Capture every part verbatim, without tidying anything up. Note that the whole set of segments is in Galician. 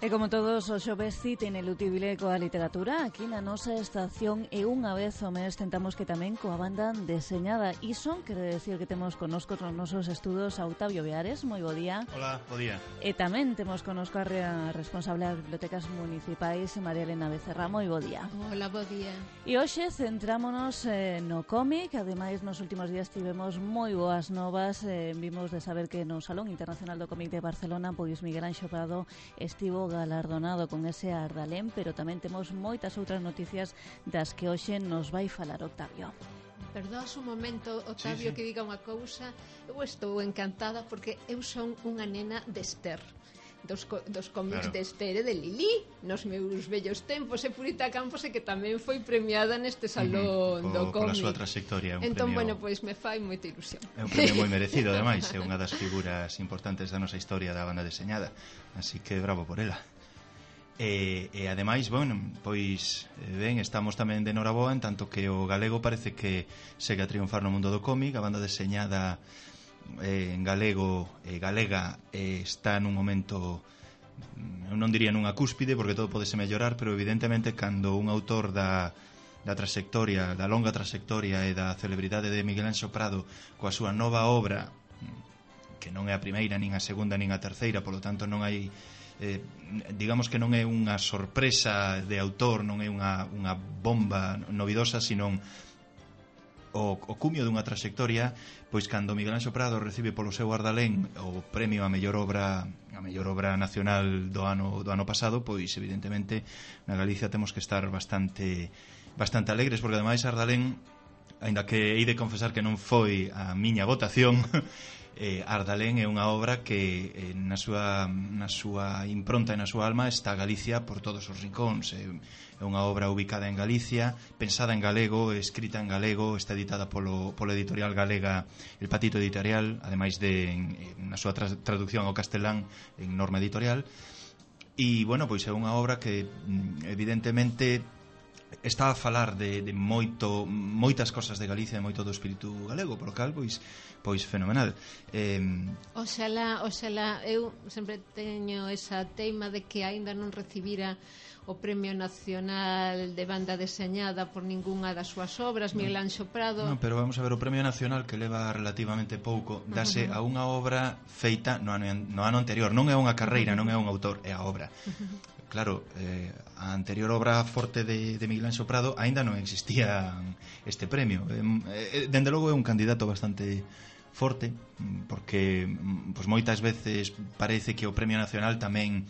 E como todos os xoves cita ineludible coa literatura, aquí na nosa estación e unha vez ao mes tentamos que tamén coa banda deseñada. Iso quere decir que temos conosco nos nosos estudos a Octavio Viares, moi bo día. Hola, bo día. E tamén temos conosco a responsable das bibliotecas municipais, María Elena Becerra, moi bo día. Hola, bo día. E hoxe centrámonos eh, no cómic, ademais nos últimos días tivemos moi boas novas, eh, vimos de saber que no Salón Internacional do Cómic de Barcelona, pois Miguel Anxo Prado estivo galardonado con ese Ardalén, pero tamén temos moitas outras noticias das que hoxe nos vai falar Octavio. Perdoas un momento, Octavio, sí, sí. que diga unha cousa. Eu estou encantada porque eu son unha nena de Esther, dos, co dos cómics claro. de Esther e de Lili, nos meus vellos tempos, e Purita Campos, e que tamén foi premiada neste salón uh -huh. do cómic. Pola súa trayectoria. Un entón, premio... bueno, pois me fai moita ilusión. É un premio moi merecido, ademais, é unha das figuras importantes da nosa historia da banda deseñada, así que bravo por ela. E, e ademais, bueno, pois ben, estamos tamén de noraboa en tanto que o galego parece que segue a triunfar no mundo do cómic. A banda deseñada eh, en galego e eh, galega eh, está nun momento, eu non diría nunha cúspide porque todo podese mellorar, pero evidentemente cando un autor da da trayectoria, da longa trayectoria e da celebridade de Miguel Anxo Prado coa súa nova obra, que non é a primeira, nin a segunda, nin a terceira, polo tanto non hai Eh, digamos que non é unha sorpresa de autor, non é unha, unha bomba novidosa, sino o, o cumio dunha trayectoria. Pois cando Miguel Anxo Prado recibe polo seu Ardalén o premio a mellor obra a mellor obra nacional do ano do ano pasado, pois evidentemente na Galicia temos que estar bastante bastante alegres, porque ademais Ardalén, aínda que hei de confesar que non foi a miña votación, Eh, Ardalén é unha obra que eh, na, súa, na súa impronta e na súa alma está Galicia por todos os rincóns. É, é unha obra ubicada en Galicia, pensada en galego, escrita en galego, está editada polo, polo editorial galega El Patito Editorial, ademais de en, na súa tra traducción ao castelán en Norma Editorial. E, bueno, pois é unha obra que evidentemente está a falar de, de moito, moitas cosas de Galicia e moito do espírito galego, por lo cal, pois, pois fenomenal. Eh... Oxalá, oxalá, eu sempre teño esa teima de que aínda non recibira o Premio Nacional de Banda Deseñada por ningunha das súas obras, Miguel Anxo Prado. Non, pero vamos a ver, o Premio Nacional, que leva relativamente pouco, dase uh -huh. a unha obra feita no ano, no ano anterior. Non é unha carreira, uh -huh. non é un autor, é a obra. Uh -huh. Claro, eh, a anterior obra forte de, de Miguel Anxo Prado aínda non existía este premio. Eh, dende logo é un candidato bastante forte, porque pues, moitas veces parece que o Premio Nacional tamén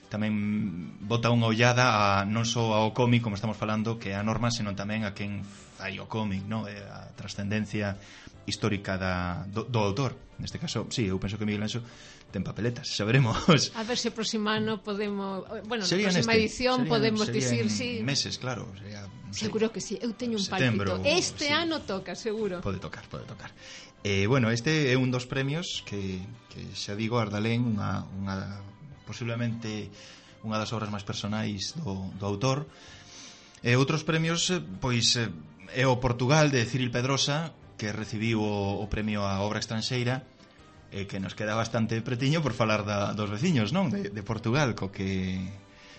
tamén bota unha ollada a, non só ao cómic, como estamos falando, que é a norma, senón tamén a quen fai o cómic, no? A trascendencia histórica da, do, do autor. Neste caso, sí, eu penso que Miguel Anxo ten papeletas, xa veremos. A ver se o próximo ano podemos, bueno, na próxima neste, edición serían, podemos serían dicir, sí. meses, claro. Sería, no sé, seguro que sí, eu teño un setembro, palpito. Este sí. ano toca, seguro. Pode tocar, pode tocar. Eh, bueno, este é un dos premios que, que xa digo, Ardalén, unha, unha posiblemente unha das obras máis personais do, do autor. E outros premios, pois, é o Portugal de Cyril Pedrosa, que recibiu o, o premio a obra estranxeira, e que nos queda bastante pretiño por falar da, dos veciños, non? De, de Portugal, co que,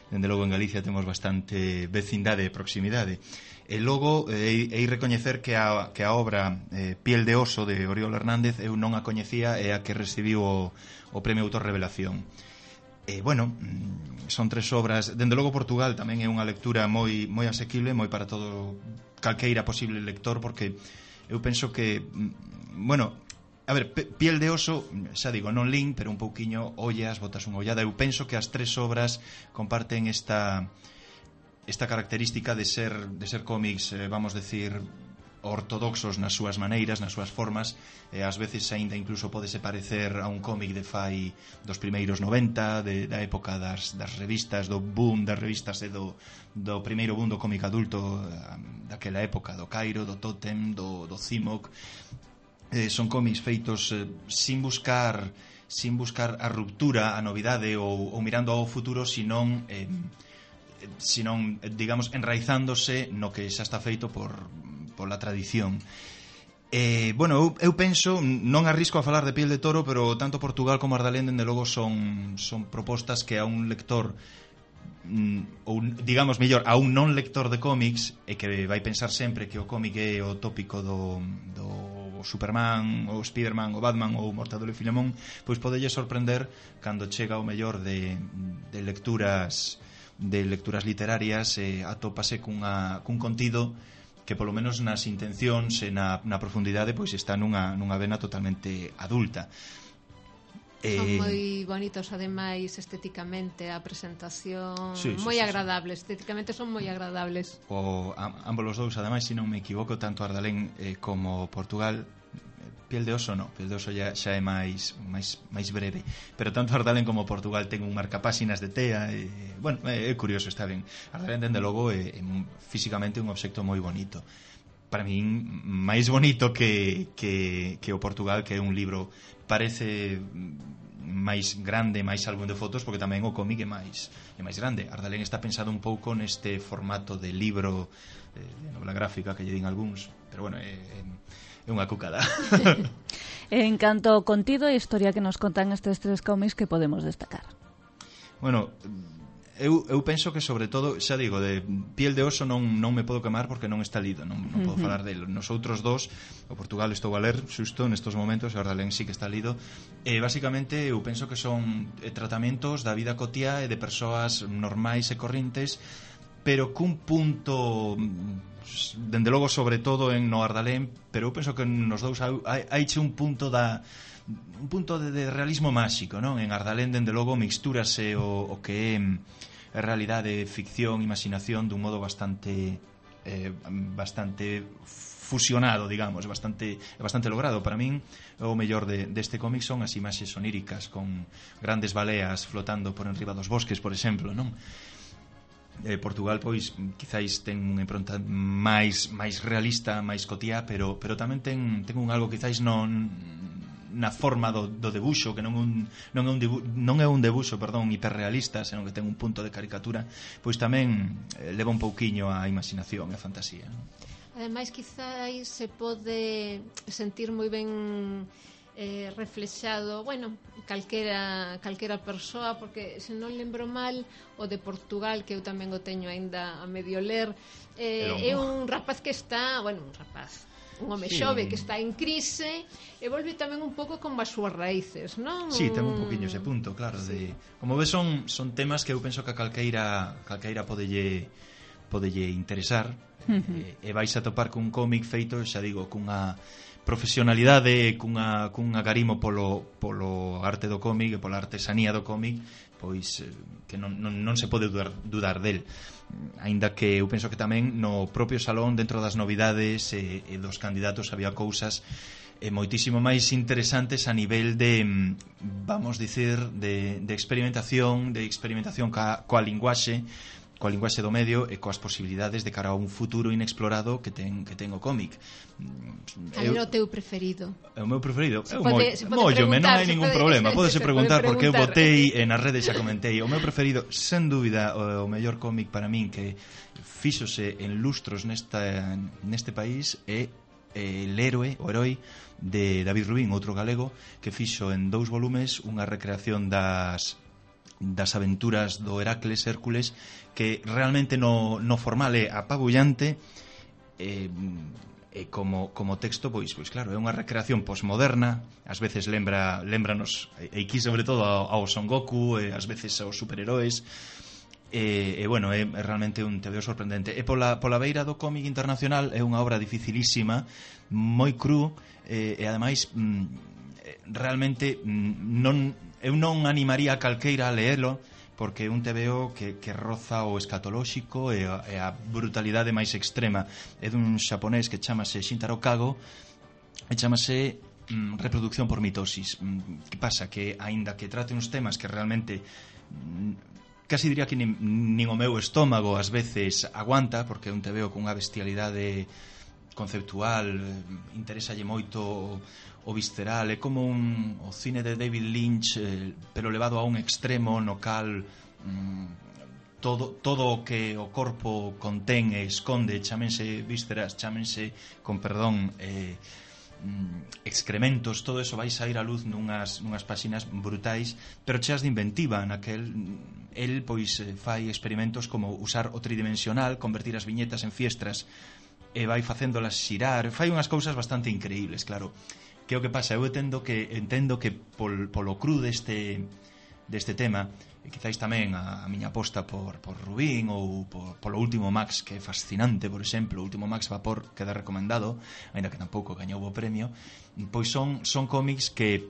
dende logo, en Galicia temos bastante vecindade e proximidade. E logo, eh, hei recoñecer que a, que a obra eh, Piel de Oso, de Oriol Hernández, eu non a coñecía, é a que recibiu o, o premio Autor Revelación. E, bueno, son tres obras. Dende logo, Portugal tamén é unha lectura moi, moi asequible, moi para todo calqueira posible lector, porque eu penso que, bueno, a ver, Piel de Oso, xa digo, non lin, pero un pouquiño ollas, botas unha ollada. Eu penso que as tres obras comparten esta esta característica de ser de ser cómics, eh, vamos decir, ortodoxos nas súas maneiras, nas súas formas, e ás veces aínda incluso podese parecer a un cómic de fai dos primeiros noventa, de, da época das, das revistas, do boom das revistas e do, do primeiro boom do cómic adulto daquela época, do Cairo, do Totem, do, do Cimoc. Eh, son cómics feitos eh, sin buscar sin buscar a ruptura, a novidade ou, ou mirando ao futuro, senón eh, senón, digamos, enraizándose no que xa está feito por pola tradición. Eh, bueno, eu, eu penso, non arrisco a falar de Piel de Toro, pero tanto Portugal como Ardalén, dende logo, son, son propostas que a un lector ou digamos mellor a un non lector de cómics e que vai pensar sempre que o cómic é o tópico do, do Superman, o Spiderman, o Batman ou o Mortadelo e Filemón, pois podelle sorprender cando chega o mellor de, de lecturas de lecturas literarias e atópase cunha, cun contido que polo menos nas intencións e na, na profundidade pois está nunha, nunha vena totalmente adulta. Son eh... moi bonitos ademais estéticamente, a presentación sí, sí, moi sí, agradables, sí. Estéticamente son moi agradables. O, a, ambos os dous, ademais, se non me equivoco, tanto Ardalén eh, como Portugal, Piel de Oso no, Piel de Oso xa, xa é máis, máis, máis breve, pero tanto Ardalén como Portugal ten un marcapáxinas de tea e, bueno, é, é curioso, está ben. Ardalén, dende logo, é, é físicamente un obxecto moi bonito, para min máis bonito que, que, que o Portugal, que é un libro parece máis grande, máis álbum de fotos, porque tamén o cómic é máis é máis grande. Ardalén está pensado un pouco neste formato de libro, eh, de novela gráfica que lle din algúns, pero bueno, é, é unha cucada. En canto ao contido e historia que nos contan estes tres cómics, que podemos destacar? Bueno, eu, eu penso que sobre todo, xa digo, de Piel de Oso non, non me podo quemar porque non está lido, non, non podo uh-huh. falar dele. Nos outros dos, o Portugal estou a ler xusto nestos momentos, e o Ardalén sí que está lido, e basicamente eu penso que son eh, tratamentos da vida cotiá e de persoas normais e correntes, pero cun punto, dende logo sobre todo en no Ardalén, pero eu penso que nos dous hai, hai che un punto da un punto de, de realismo máxico, non? En Ardalén, dende logo, mixtúrase o, o que é a realidade, ficción, imaginación dun modo bastante eh, bastante fusionado, digamos, bastante bastante logrado. Para min, o mellor de, deste cómic son as imaxes oníricas con grandes baleas flotando por enriba dos bosques, por exemplo, non? Eh, Portugal, pois, quizáis ten unha impronta máis máis realista, máis cotiá, pero pero tamén ten ten un algo quizáis non na forma do, do debuxo, que non, un, non, é un dibu, non é un debuxo, perdón, hiperrealista, senón que ten un punto de caricatura, pois tamén eh, leva un pouquiño a imaginación e a fantasía, non? Ademais, quizáis se pode sentir moi ben eh, reflexado, bueno, calquera, calquera persoa, porque se non lembro mal, o de Portugal, que eu tamén o teño aínda a medio ler, eh, é un rapaz que está, bueno, un rapaz, un home sí, xove que está en crise e volve tamén un pouco con as súas raíces, non? Sí, ten un poquinho ese punto, claro, sí. de como ves son son temas que eu penso que a calqueira calqueira podelle podelle interesar. Uh-huh. e, e vais a topar cun cómic feito, xa digo, cunha profesionalidade, cunha cunha garimo polo polo arte do cómic e pola artesanía do cómic, pois eh, que non, non, non se pode dudar, dudar del. Aínda que eu penso que tamén no propio salón, dentro das novidades e, e dos candidatos, había cousas eh, moitísimo máis interesantes a nivel de, vamos dicir, de, de experimentación, de experimentación ca, coa linguaxe, coa linguaxe do medio e coas posibilidades de cara a un futuro inexplorado que ten que ten o cómic. Cal é o teu preferido? É o meu preferido? Se pode, se pode Móllome, non hai ningún pode, problema. Pódese preguntar pode porque eu botei en as redes, xa comentei. O meu preferido, sen dúbida, o, o mellor cómic para min que fíxose en lustros nesta neste país é El héroe, o heroi de David Rubín, outro galego, que fixo en dous volumes unha recreación das das aventuras do Heracles, Hércules, que realmente no, no formal é apabullante, e, e como, como texto, pois, pois claro, é unha recreación posmoderna, ás veces lembra lembranos, e aquí sobre todo ao, ao Son Goku, e ás veces aos superheróis, e, e bueno, é, é realmente un tebeo sorprendente. E pola, pola beira do cómic internacional é unha obra dificilísima, moi cru, e, e ademais mm, realmente mm, non eu non animaría a calqueira a leelo, porque é un tebeo que, que roza o escatolóxico e a, e a brutalidade máis extrema. É dun xaponés que chamase Shintaro Kago e chamase mm, Reproducción por mitosis. Mm, que pasa? Que aínda que trate uns temas que realmente mm, casi diría que nin, nin o meu estómago ás veces aguanta, porque é un tebeo con unha bestialidade conceptual, interésalle moito o visceral, é como un, o cine de David Lynch, eh, pero levado a un extremo no cal mm, todo, todo o que o corpo contén e esconde, chámense vísceras, chámense, con perdón, eh, excrementos, todo eso vai sair a luz nunhas, nunhas páxinas brutais, pero cheas de inventiva. Naquel, el pois fai experimentos como usar o tridimensional, convertir as viñetas en fiestras e vai facéndolas xirar, fai unhas cousas bastante increíbles. Claro, que o que pasa, eu entendo que entendo que pol, polo cru deste deste tema, e quizáis tamén a, a miña aposta por, por Rubín ou por, polo último Max, que é fascinante, por exemplo, o último Max Vapor, queda recomendado, ainda que tampouco gañou o premio, pois son, son cómics que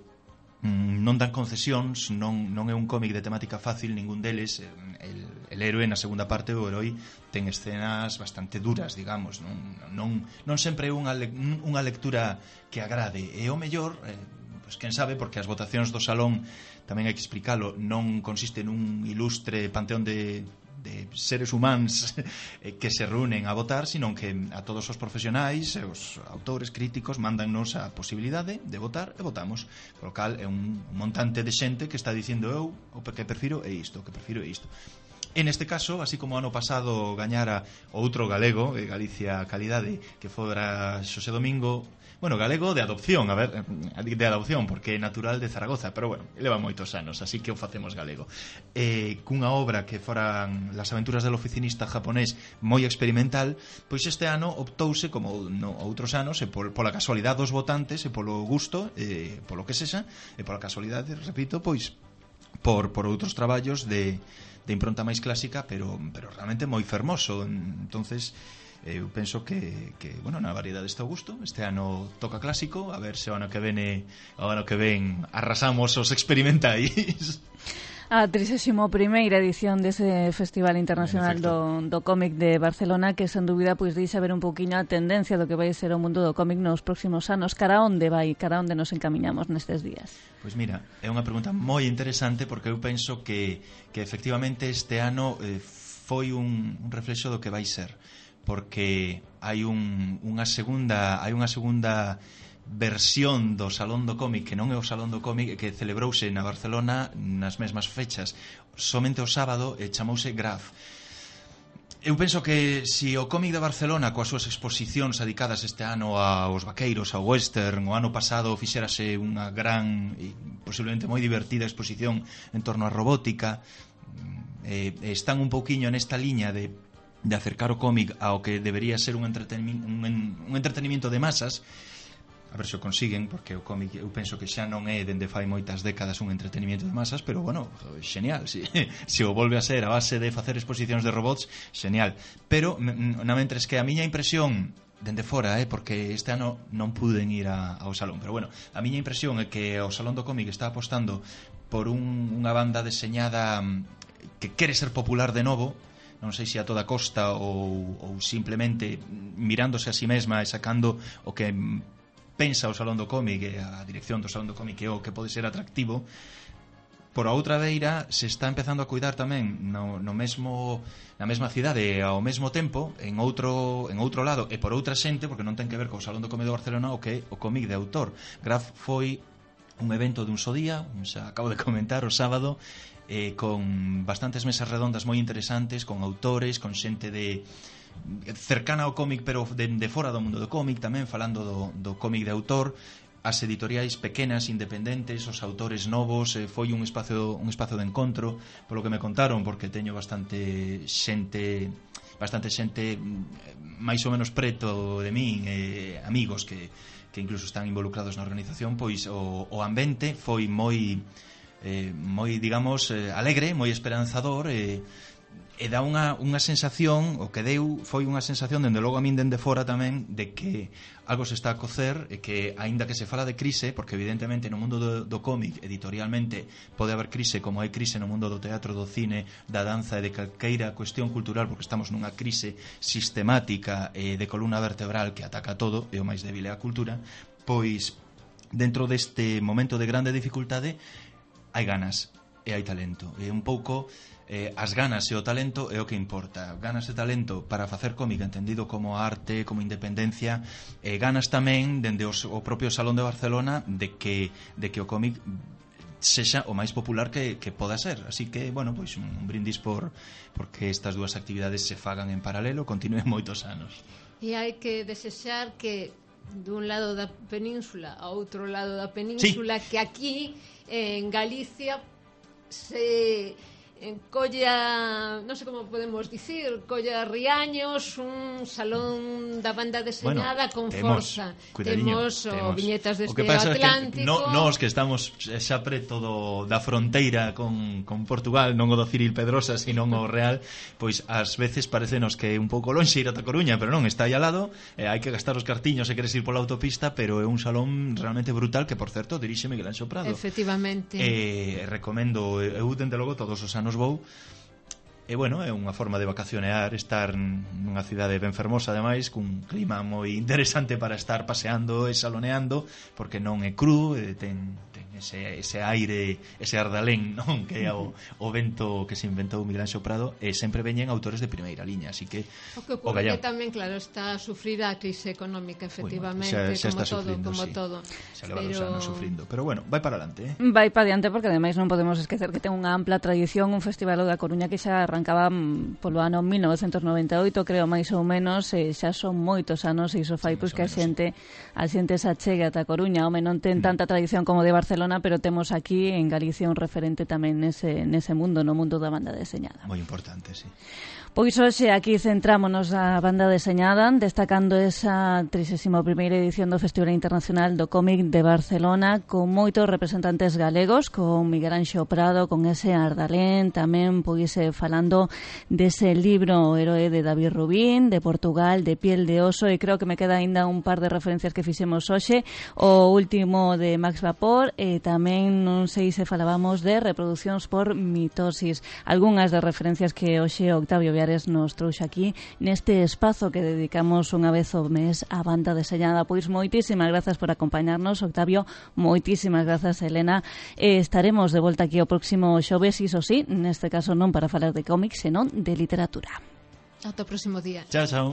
mm, non dan concesións, non, non é un cómic de temática fácil, ningún deles. El, el héroe na segunda parte, o heroi, ten escenas bastante duras, digamos, non, non, non sempre é unha, le, unha lectura que agrade, e o mellor, eh, pois quen sabe, porque as votacións do salón, tamén hai que explicalo, non consiste nun ilustre panteón de, de seres humanos que se reúnen a votar, sino que a todos os profesionais, os autores, críticos, mándannos a posibilidade de votar e votamos, por lo cal é un montante de xente que está dicindo eu o que prefiro é isto, o que prefiro é isto. En este caso, así como ano pasado gañara outro galego, Galicia Calidade, que fora Xosé Domingo, bueno, galego de adopción, a ver, de adopción, porque é natural de Zaragoza, pero bueno, leva moitos anos, así que o facemos galego. Eh, cunha obra que foran Las aventuras del oficinista japonés, moi experimental, pois este ano optouse, como no outros anos, e por, pola casualidade dos votantes, e polo gusto, e polo que sexa, e pola casualidade, repito, pois por, por outros traballos de, de impronta máis clásica, pero, pero realmente moi fermoso. Entonces, eu penso que, que bueno, na variedade está o gusto. Este ano toca clásico, a ver se o ano que vene o ano que ven arrasamos os experimentais. A trixésima primeira edición dese Festival Internacional do, do Cómic de Barcelona, que sen dúbida pois deixa ver un pouquiño a tendencia do que vai ser o mundo do cómic nos próximos anos. Cara onde vai, cara onde nos encamiñamos nestes días? Pois mira, é unha pregunta moi interesante, porque eu penso que, que efectivamente este ano eh, foi un, un reflexo do que vai ser, porque hai un, unha segunda hai unha segunda versión do Salón do Cómic, que non é o Salón do Cómic, que celebrouse na Barcelona nas mesmas fechas, somente o sábado, e chamouse Graf. Eu penso que se o cómic de Barcelona, coas súas exposicións dedicadas este ano aos vaqueiros, ao western, o ano pasado fixérase unha gran e posiblemente moi divertida exposición en torno á robótica, eh, están un pouquiño nesta liña de de acercar o cómic ao que debería ser un entretenimiento, un, un entretenimiento de masas. A ver se o consiguen, porque o cómic eu penso que xa non é dende fai moitas décadas un entretenimiento de masas, pero bueno, xenial, se, se o volve a ser a base de facer exposicións de robots, xenial. Pero na mentres que a miña impresión dende fora, eh, porque este ano non puden ir a, ao salón, pero bueno, a miña impresión é que o Salón do Cómic está apostando por un, unha banda deseñada que quere ser popular de novo, non sei se a toda costa ou, ou simplemente mirándose a si mesma e sacando o que pensa o Salón do Cómic e a dirección do Salón do Cómic é o que pode ser atractivo. Por a outra beira se está empezando a cuidar tamén no, no mesmo, na mesma cidade e ao mesmo tempo en outro, en outro lado e por outra xente, porque non ten que ver co Salón do Cómic de Barcelona, o que é o cómic de autor. Graf foi un evento dun só día, xa acabo de comentar, o sábado, eh, con bastantes mesas redondas moi interesantes, con autores, con xente de cercana ao cómic, pero de, de fora do mundo do cómic tamén, falando do, do cómic de autor, as editoriais pequenas, independentes, os autores novos. Eh, foi un espacio, un espacio de encontro, polo que me contaron, porque teño bastante xente bastante xente máis ou menos preto de min, eh, amigos que, que incluso están involucrados na organización. Pois o, o ambiente foi moi eh, moi, digamos, eh, alegre, moi esperanzador, e eh, e dá unha, unha sensación, o que deu foi unha sensación, dende logo a min dende fora tamén, de que algo se está a cocer, e que, aínda que se fala de crise, porque evidentemente no mundo do, do cómic editorialmente pode haber crise, como hai crise no mundo do teatro, do cine, da danza e de calqueira cuestión cultural, porque estamos nunha crise sistemática e de columna vertebral que ataca todo, e o máis débil é a cultura. Pois dentro deste momento de grande dificultade hai ganas e hai talento, e un pouco eh, as ganas e o talento é o que importa. Ganas e talento para facer cómic entendido como arte, como independencia, e ganas tamén dende os, o propio Salón de Barcelona de que, de que o cómic sexa o máis popular que, que poda ser. Así que, bueno, pois un, un brindis por porque estas dúas actividades se fagan en paralelo, continúen moitos anos. E hai que desexar que dun lado da península a outro lado da península, sí. Que aquí en Galicia se colla, non sei como podemos dicir, colla Riaños, un salón da banda deseñada, bueno, con temos, forza. Temos o viñetas deste Atlántico. Que no, nós que estamos xa preto do, da fronteira con, con Portugal, non o do Ciril Pedrosa, sino o Real, pois ás veces parecenos que é un pouco lonxe ir ata Coruña, pero non, está aí ao lado, eh, hai que gastar os cartiños se queres ir pola autopista, pero é un salón realmente brutal que, por certo, dirixe Miguel Anxo Prado. Efectivamente. Eh, recomendo, eu dende logo todos os anos nos vou. E bueno, é unha forma de vacacionear, estar nunha cidade ben fermosa, ademais, cun clima moi interesante para estar paseando e saloneando, porque non é cru, ten, ten ese, ese aire, ese ardalén, non? Que é o, o vento que se inventou Miguel Anxo Prado, e sempre veñen autores de primeira liña, así que o que ocurre que tamén, claro, está a sufrir a crise económica, efectivamente, bueno, xa, xa como todo, sufrindo, como sí. todo. Xa leva dos anos sufrindo, pero bueno, vai para adelante, eh? Vai para adiante, porque ademais non podemos esquecer que ten unha ampla tradición, un festival da Coruña que xa arrancaba polo ano mil novecentos noventa e oito, creo, máis ou menos, e xa son moitos anos, e iso fai sí, pois que a xente a xente se achegue ata Coruña. Home, non ten tanta tradición como de Barcelona, pero temos aquí en Galicia un referente tamén nese, nese mundo, no mundo da banda deseñada. Moi importante, sí. Pois hoxe aquí centrámonos na banda deseñada, destacando esa trigésima primeira edición do Festival Internacional do Cómic de Barcelona, con moitos representantes galegos, con Miguel Anxo Prado, con ese Ardalén, tamén pois falando dese libro O heroe de David Rubín, de Portugal, de Piel de oso, e creo que me queda aínda un par de referencias que fixemos hoxe, o último de Max Vapor, e tamén non sei se falábamos de reproduccións por mitosis, algunhas das referencias que hoxe Octavio Viares nos trouxe aquí neste espazo que dedicamos unha vez ao mes á banda deseñada. Pois moitísimas grazas por acompañarnos, Octavio, moitísimas grazas, Elena, e estaremos de volta aquí o próximo xoves, iso sí, neste caso non para falar de cómics, senón de literatura. Ata o próximo día. Chao, chao.